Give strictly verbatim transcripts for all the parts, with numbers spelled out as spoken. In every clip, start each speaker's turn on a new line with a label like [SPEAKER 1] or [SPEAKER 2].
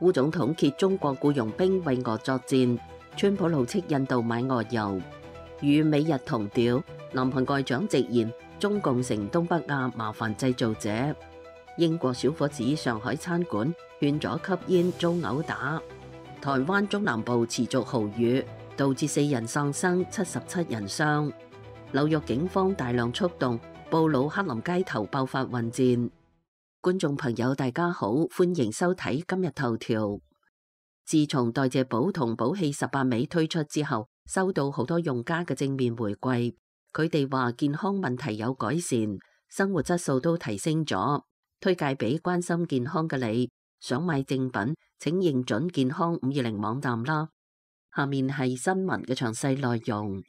[SPEAKER 1] 烏總統揭中國僱傭兵為俄作戰，川普怒斥印度買俄油。與美日同調，南韓外長直言中共成東北亞麻煩製造者。英國小伙子上海餐館勸咗吸煙遭毆打。台灣中南部持續豪雨，導致四人喪生，七十七人傷。紐約警方大量出動，布魯克林街頭爆發混戰。觀眾朋友大家好，歡迎收睇今日頭條。自從代謝寶同寶氣十八味推出之後，收到好多用家嘅正面回饋，佢哋話健康問題有改善，生活質素都提升咗，推介俾關心健康嘅你。想買正品，請認準健康五二零網站啦。下面係新聞嘅詳細內容。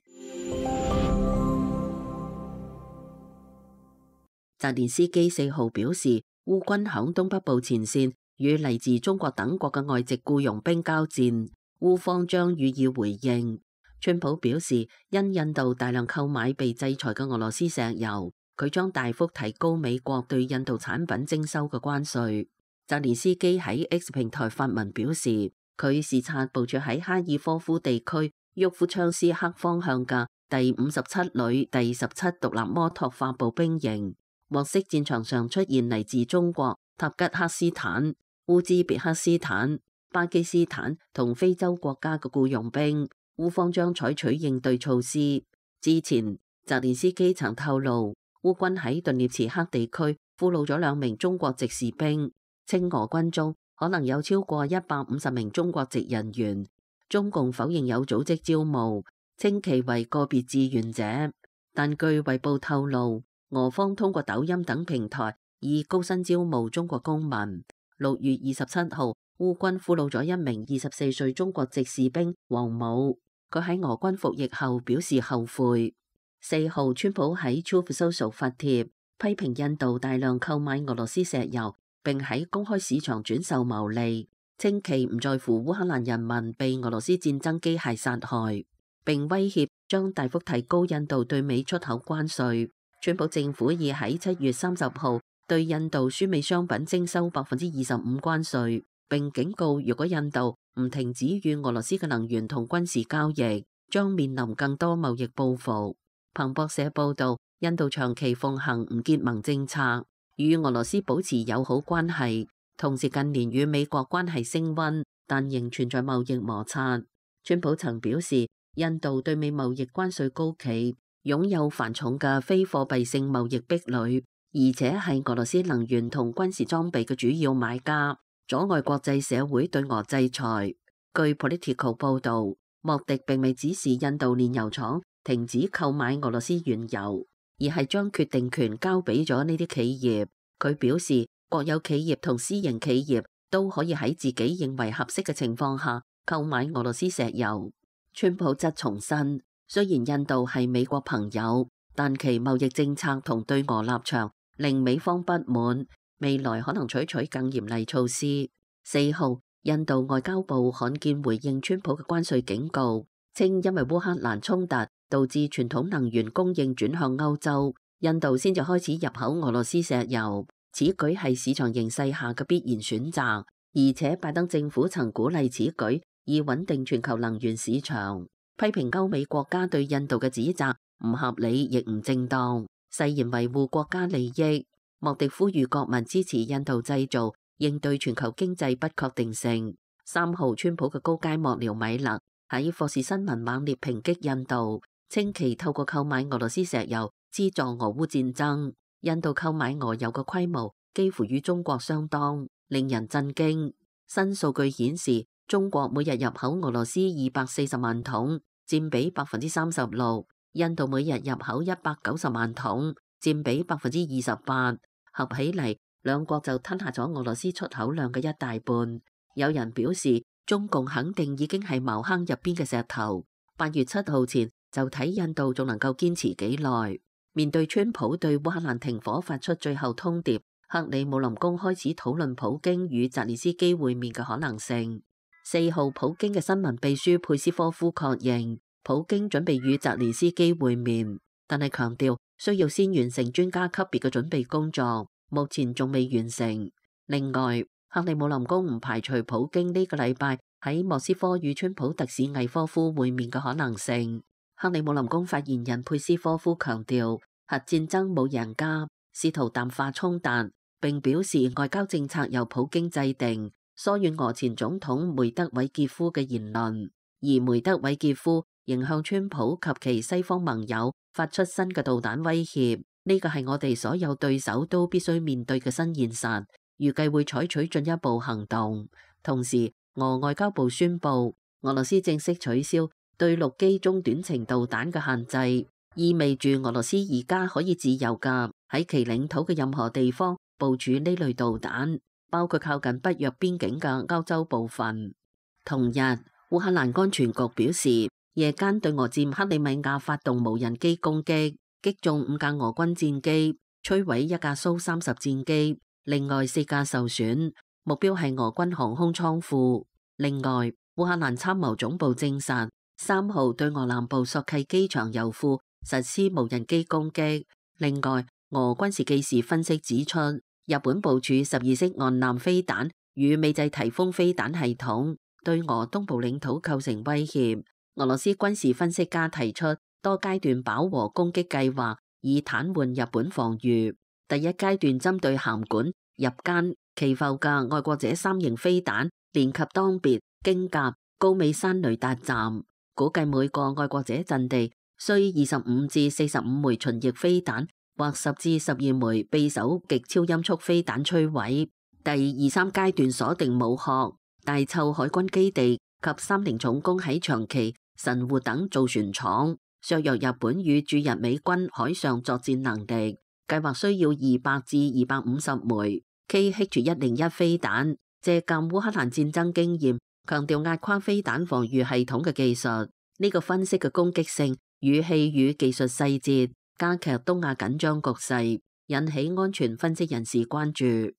[SPEAKER 1] 澤連斯基四號表示，烏軍響東北部前線與嚟自中國等國嘅外籍僱傭兵交戰，烏方將予以回應。川普表示，因印度大量購買被制裁嘅俄羅斯石油，佢將大幅提高美國對印度產品徵收嘅關稅。澤連斯基喺 X 平台發文表示，佢視察部署喺哈爾科夫地區沃夫昌斯克方向嘅第五十七旅第十七獨立摩托化步兵營，獲悉戰場上出現嚟自中國、塔吉克斯坦、烏茲別克斯坦、巴基斯坦同非洲國家嘅僱傭兵，烏方將採取應對措施。之前，澤連斯基曾透露，烏軍喺頓涅茨克地區俘虜咗兩名中國籍士兵。稱俄軍中可能有超過一百五十名中國籍人員，中共否認有組織招募，稱其為個別志願者。但據衛報透露，俄方通過抖音等平台以高薪招募中國公民。六月二十七號，烏軍俘虜咗一名二十四歲中國籍士兵王某，佢喺俄軍服役後表示後悔。四號，川普喺 Truth Social 發帖批評印度大量購買俄羅斯石油，並喺公開市場轉售牟利，稱其唔在乎烏克蘭人民被俄羅斯戰爭機械殺害，並威脅將大幅提高印度對美出口關稅。川普政府已喺七月三十號對印度輸美商品徵收百分之二十五關稅，並警告如果印度唔停止與俄羅斯嘅能源同軍事交易，將面臨更多貿易報復。彭博社報道，印度長期奉行唔結盟政策，與俄羅斯保持友好關係，同時近年與美國關係升溫，但仍存在貿易摩擦。川普曾表示，印度對美貿易關稅高企，擁有繁重嘅非貨幣性貿易壁壘，而且係俄羅斯能源同軍事裝備嘅主要買家，阻礙國際社會對俄制裁。據 Politico 報導，莫迪並未指示印度煉油廠停止購買俄羅斯原油，而係將決定權交俾咗呢啲企業。佢表示，國有企業同私營企業都可以喺自己認為合適嘅情況下購買俄羅斯石油。川普則重申，雖然印度係美國朋友，但其貿易政策同對俄立場令美方不滿，未來可能採取更嚴厲措施。四號，印度外交部罕見回應川普嘅關稅警告，稱因為烏克蘭衝突導致傳統能源供應轉向歐洲，印度先至開始入口俄羅斯石油，此舉係市場形勢下嘅必然選擇，而且拜登政府曾鼓勵此舉以穩定全球能源市場，批評歐美國家對印度嘅指責唔合理亦唔正當，誓言維護國家利益。莫迪呼籲國民支持印度製造，應對全球經濟不確定性。三號，川普嘅高階幕僚米勒喺霍士新聞猛烈抨擊印度，稱其透過購買俄羅斯石油資助俄烏戰爭。印度購買俄油嘅規模幾乎與中國相當，令人震驚。新數據顯示，中國每日入口俄羅斯二百四十萬桶，佔比百分之三十六；印度每日入口一百九十萬桶，佔比百分之二十八。合起嚟，兩國就吞下咗俄羅斯出口量嘅一大半。有人表示，中共肯定已經係茅坑入邊嘅石頭。八月七號前就睇印度仲能夠堅持幾耐。面對川普對烏克蘭停火發出最後通牒，克里姆林宮開始討論普京與澤連斯基會面嘅可能性。四號，普京嘅新聞秘書佩斯科夫確認，普京準備與澤連斯基會面，但係強調需要先完成專家級別嘅準備工作，目前仲未完成。另外，克里姆林宮唔排除普京呢個禮拜喺莫斯科與川普特使魏科夫會面嘅可能性。克里姆林宮發言人佩斯科夫強調，核戰爭冇贏家，試圖淡化衝突，並表示外交政策由普京制定，疏遠俄前總統梅德韋傑夫嘅言論。而梅德韋傑夫仍向川普及其西方盟友發出新嘅導彈威脅，呢個係我哋所有對手都必須面對嘅新現實，預計會採取進一步行動。同時，俄外交部宣布，俄羅斯正式取消對陸基中短程導彈嘅限制，意味住俄羅斯而家可以自由㗎喺其領土嘅任何地方部署呢類導彈，包括靠近北約邊境嘅歐洲部分。同日，烏克蘭安全局表示，夜間對俄佔克里米亞發動無人機攻擊，擊中五架俄軍戰機，摧毀一架蘇三十戰機，另外四架受損，目標係俄軍航空倉庫。另外，烏克蘭參謀總部證實，三號對俄南部索契機場油庫實施無人機攻擊。另外，俄軍事技師分析指出，日本部署十二式岸艦飛彈與美製提豐飛彈系統，對俄東部領土構成威脅。俄羅斯軍事分析家提出多階段飽和攻擊計劃，以癱瘓日本防禦。第一階段針對函館、入間、祈浮嘅愛國者三型飛彈，連及當別、京甲、高美山雷達站，估計每個愛國者陣地需二十五至四十五枚巡弋飛彈，或十至十二枚匕首極超音速飛彈摧毀。第二三階段鎖定武學、大湊海軍基地及三菱重工喺長崎、神戶等造船廠，削弱日本與駐日美軍海上作戰能力。計劃需要二百至二百五十枚 K H 一零一飛彈，借鑑烏克蘭戰爭經驗，強調壓垮飛彈防禦系統嘅技術。呢個分析嘅攻擊性、語氣與技術細節，加劇東亞緊張局勢，引起安全分析人士關注。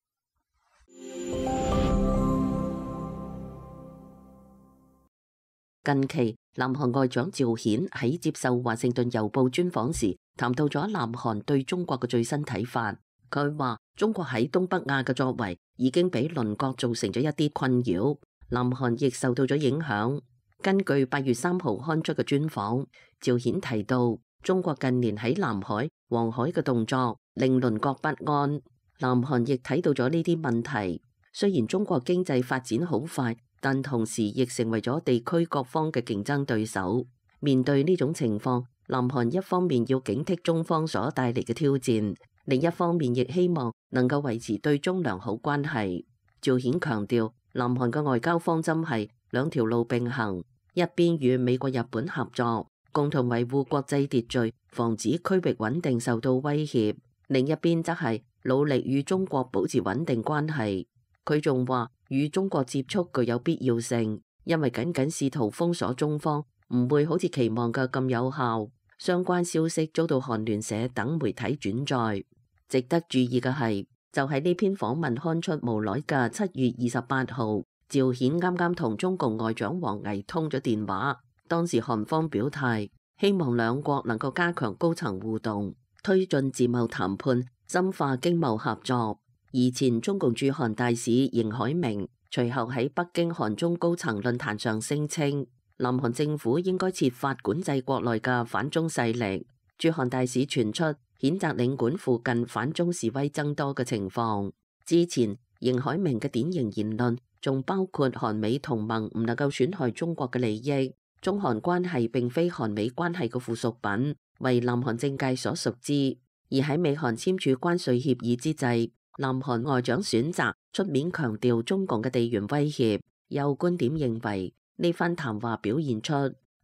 [SPEAKER 1] 近期，南韓外長趙顯喺接受華盛頓郵報專訪時，談到咗南韓對中國嘅最新睇法。佢話中國喺東北亞嘅作為已經俾鄰國造成咗一啲困擾，南韓亦受到咗影響。根據八月三號刊出嘅專訪，趙顯提到中國近年喺南海、黃海嘅動作令鄰國不安，南韓亦睇到咗呢啲問題。雖然中國經濟發展好快，但同時亦成為咗地區各方嘅競爭對手。面對呢種情況，南韓一方面要警惕中方所帶嚟嘅挑戰，另一方面亦希望能夠維持對中良好關係。趙顯強調，南韓嘅外交方針係兩條路並行，一邊與美國、日本合作，共同維護國際秩序，防止區域穩定受到威脅；另一邊則係努力與中國保持穩定關係。佢仲話，與中國接觸具有必要性，因為僅僅試圖封鎖中方，唔會好似期望嘅咁有效。相關消息遭到韓聯社等媒體轉載。值得注意嘅係，就喺呢篇訪問刊出無耐嘅七月二十八號，趙顯啱啱同中共外長王毅通咗電話。當時韓方表態，希望兩國能夠加強高層互動，推進自貿談判，深化經貿合作。而前中共駐韓大使邢海明隨後喺北京韓中高層論壇上聲稱，南韓政府應該設法管制國內嘅反中勢力。駐韓大使傳出譴責領館附近反中示威增多嘅情況。之前邢海明嘅典型言論仲包括韓美同盟唔能夠損害中國嘅利益，中韓關係並非韓美關係嘅附屬品，為南韓政界所熟知。而喺美韓簽署關稅協議之際，南韓外長選擇出面強調中共嘅地緣威脅。有觀點認為，呢番談話表現出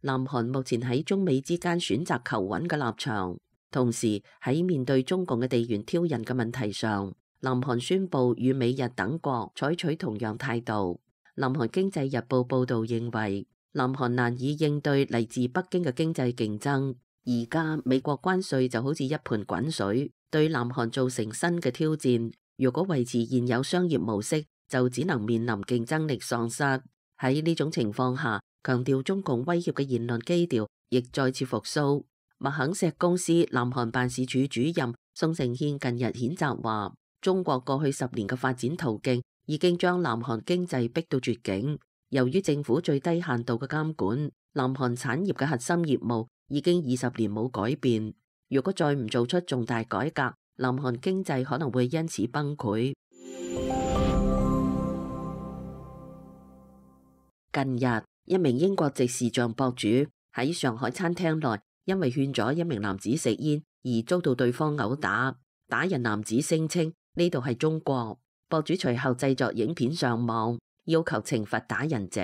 [SPEAKER 1] 南韓目前喺中美之間選擇求穩嘅立場，同時喺面對中共嘅地緣挑釁嘅問題上，南韓宣布與美日等國採取同樣態度。南韓經濟日報報導認為，南韓難以應對嚟自北京嘅經濟競爭，而家美國關稅就好似一盆滾水，對南韓造成新嘅挑戰。如果維持現有商業模式，就只能面臨競爭力喪失。喺呢種情況下，強調中共威脅嘅言論基調亦再次復甦。麥肯錫公司南韓辦事處主任宋承憲近日譴責話，中國過去十年嘅發展途徑已經將南韓經濟逼到絕境。由於政府最低限度嘅監管，南韓產業嘅核心業務已經二十年冇改變。如果再唔做出重大改革，南韓經濟可能會因此崩潰。近日，一名英國籍視像博主喺上海餐廳內，因為勸咗一名男子食煙而遭到對方毆打。打人男子聲稱呢度係中國。博主隨後製作影片上網，要求懲罰打人者。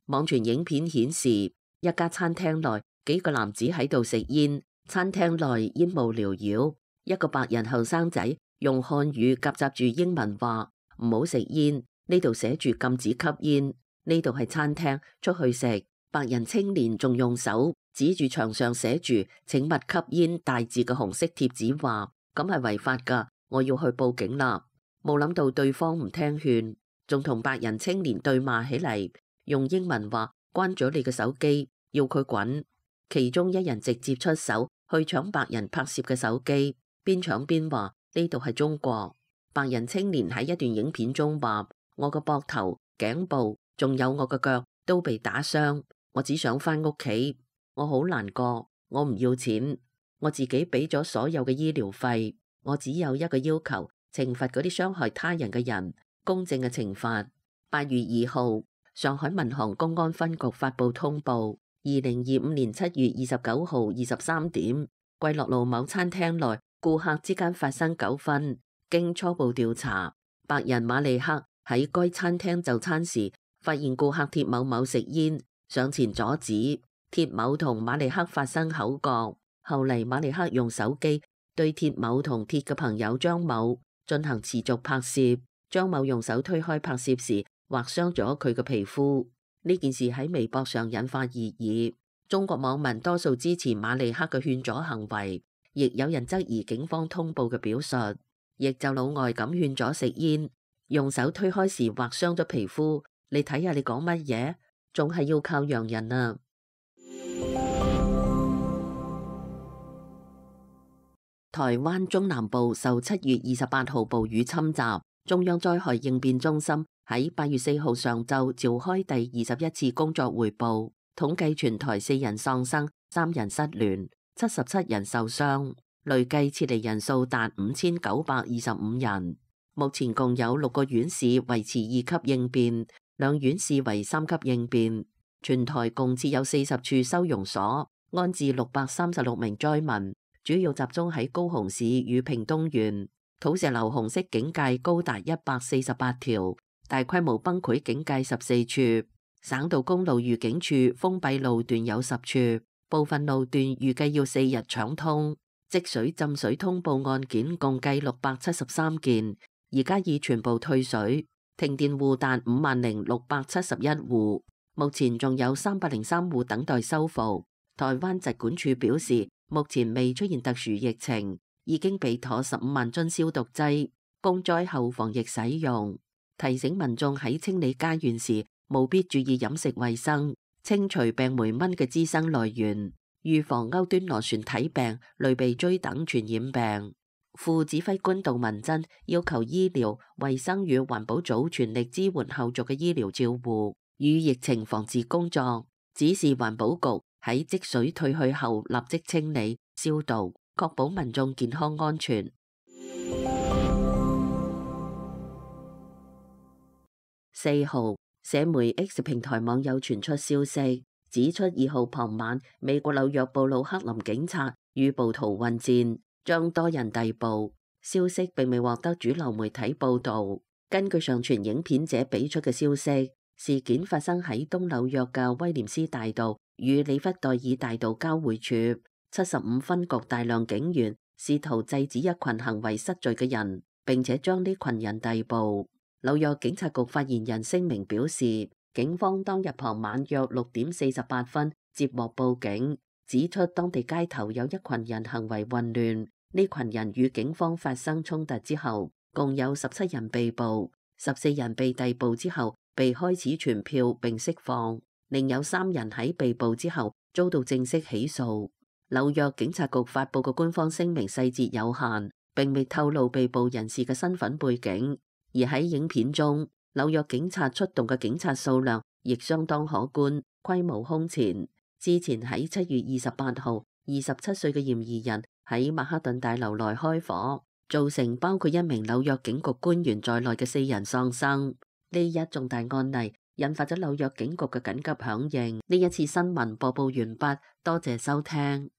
[SPEAKER 1] 網傳影片顯示，一家餐廳內幾個男子喺度食煙，餐廳內煙霧繚繞。一個白人後生仔用漢語夾雜住英文話：唔好食煙，呢度寫住禁止吸煙。呢度係餐廳，出去食。白人青年仲用手指住牆上寫住請勿吸煙大字嘅紅色貼紙，話咁係違法噶，我要去報警啦。冇諗到對方唔聽勸，仲同白人青年對罵起嚟，用英文話關咗你嘅手機，要佢滾。其中一人直接出手去搶白人拍攝嘅手機，邊搶邊話呢度係中國。白人青年喺一段影片中話：我個膊頭、頸部仲有我個腳都被打傷，我只想返屋企，我好難過，我唔要錢，我自己俾咗所有嘅醫療費，我只有一個要求，懲罰嗰啲傷害他人嘅人，公正嘅懲罰。八月二號，上海民航公安分局發布通報，二零二五年七月二十九號二十三點，桂樂路某餐廳內顧客之間發生糾紛，經初步調查，白人馬利克喺該餐廳就餐時，發現顧客鐵某某食煙，上前阻止，鐵某同馬利克發生口角。後嚟馬利克用手機對鐵某同鐵嘅朋友張某進行持續拍攝，張某用手推開拍攝時劃傷咗佢嘅皮膚。呢件事喺微博上引發熱議，中國網民多數支持馬利克嘅勸阻行為，亦有人質疑警方通報嘅表述，亦就老外咁勸阻食煙，用手推開時劃傷咗皮膚。你睇下你講乜嘢，仲係要靠洋人啊！台灣中南部受七月二十八號暴雨侵襲，中央災害應變中心喺八月四號上晝召開第二十一次工作匯報，統計全台四人喪生，三人失聯，七十七人受傷，累計撤離人數達五千九百二十五人。目前共有六個縣市維持二級應變，兩縣市為三級應變，全台共設有四十處收容所，安置六百三十六名災民，主要集中喺高雄市與屏東縣。土石流紅色警戒高達一百四十八條，大規模崩潰警戒十四處，省道公路預警處封閉路段有十處，部分路段預計要四日搶通。積水浸水通報案件共計六百七十三件，而家已全部退水。停電戶達五萬零六百七十一戶，目前仲有三百零三戶等待修復。台灣疾管署表示，目前未出現特殊疫情，已經備妥十五萬樽消毒劑，供災後防疫使用。提醒民眾喺清理家園時，務必注意飲食衛生，清除病媒蚊嘅滋生來源，預防歐端螺旋體病、類鼻疽等傳染病。副指揮官杜文珍要求醫療、衛生與環保組全力支援後續嘅醫療照護與疫情防治工作，指示環保局喺積水退去後立即清理、消毒，確保民眾健康安全。四號，社媒 X 平台網友傳出消息，指出二號傍晚，美國紐約布魯克林警察與暴徒混戰，將多人逮捕。消息並未獲得主流媒體報導。根據上傳影片者俾出嘅消息，事件發生喺東紐約嘅威廉斯大道與里弗代爾大道交匯處。七十五分局大量警員試圖制止一群行為失序嘅人，並且將呢群人逮捕。紐約警察局發言人聲明表示，警方當日傍晚約六點四十八分接獲報警，指出當地街頭有一群人行為混亂。呢群人與警方發生衝突之後，共有十七人被捕，十四人被逮捕之後被開始傳票並釋放，另有三人喺被捕之後遭到正式起訴。紐約警察局發布嘅官方聲明細節有限，並未透露被捕人士嘅身份背景。而喺影片中，紐約警察出動嘅警察數量亦相當可觀，規模空前。之前喺七月二十八號，二十七歲嘅嫌疑人喺曼哈頓大樓內開火，造成包括一名紐約警局官員在內嘅四人喪生。呢一重大案例引發咗紐約警局嘅緊急響應。呢一次新聞播報完畢，多謝收聽。